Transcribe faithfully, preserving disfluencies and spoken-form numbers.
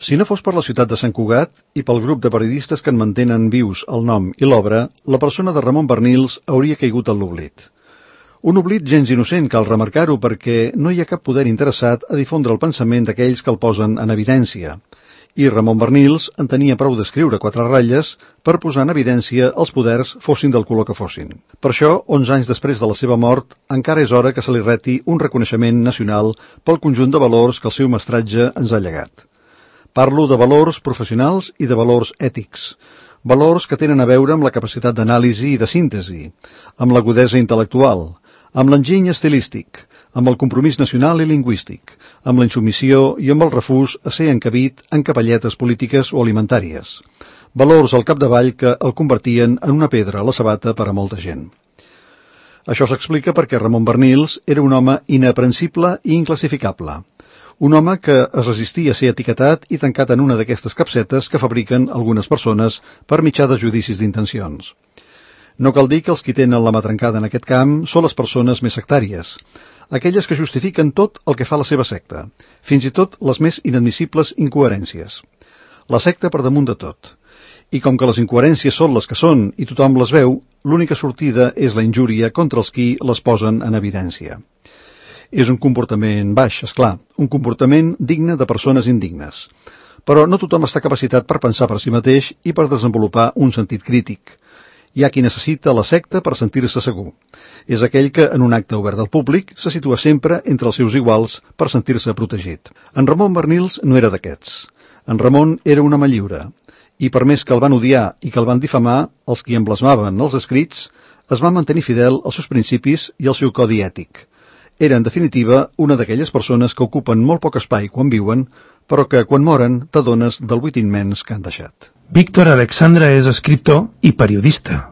Si no fos per la ciutat de Sant Cugat i pel grup de periodistes que en mantenen vius el nom i l'obra, la persona de Ramon Barnils hauria caigut en l'oblit. Un oblit gens innocent, cal remarcar-ho, perquè no hi ha cap poder interessat a difondre el pensament d'aquells que el posen en evidència. I Ramon Barnils en tenia prou d'escriure quatre ratlles per posar en evidència els poders fossin del color que fossin. Per això, onze anys després de la seva mort, encara és hora que se li reti un reconeixement nacional pel conjunt de valors que el seu mestratge ens ha llegat. Parlo de valors professionals i de valors ètics, valors que tenen a veure amb la capacitat d'anàlisi i de síntesi, amb l'agudesa intel·lectual, amb l'enginy estilístic, amb el compromís nacional i lingüístic, amb la insubmissió i amb el refús a ser encabit en capelletes polítiques o alimentàries. Valors al capdavall que el convertien en una pedra a la sabata per a molta gent. Això s'explica perquè Ramon Barnils era un home inaprensible i inclassificable. Un home que es resistia a ser etiquetat i tancat en una d'aquestes capsetes que fabriquen algunes persones per mitjà de judicis d'intencions. No cal dir que els qui tenen la mà trencada en aquest camp són les persones més sectàries, aquelles que justifiquen tot el que fa la seva secta, fins i tot les més inadmissibles incoherències. La secta per damunt de tot. I com que les incoherències són les que són i tothom les veu, l'única sortida és la injúria contra els qui les posen en evidència. És un comportament baix, és clar, un comportament digne de persones indignes. Però no tothom està capacitat per pensar per si mateix i per desenvolupar un sentit crític. Hi ha qui necessita la secta per sentir-se segur. És aquell que, en un acte obert al públic, se situa sempre entre els seus iguals per sentir-se protegit. En Ramon Barnils no era d'aquests. En Ramon era un home lliure. I per més que el van odiar i que el van difamar, els qui en blasmaven els escrits, es va mantenir fidel als seus principis i al seu codi ètic. Era, en definitiva, una d'aquelles persones que ocupen molt poc espai quan viuen, però que, quan moren, t'adones del buit immens que han deixat. Víctor Alexandra és escriptor i periodista.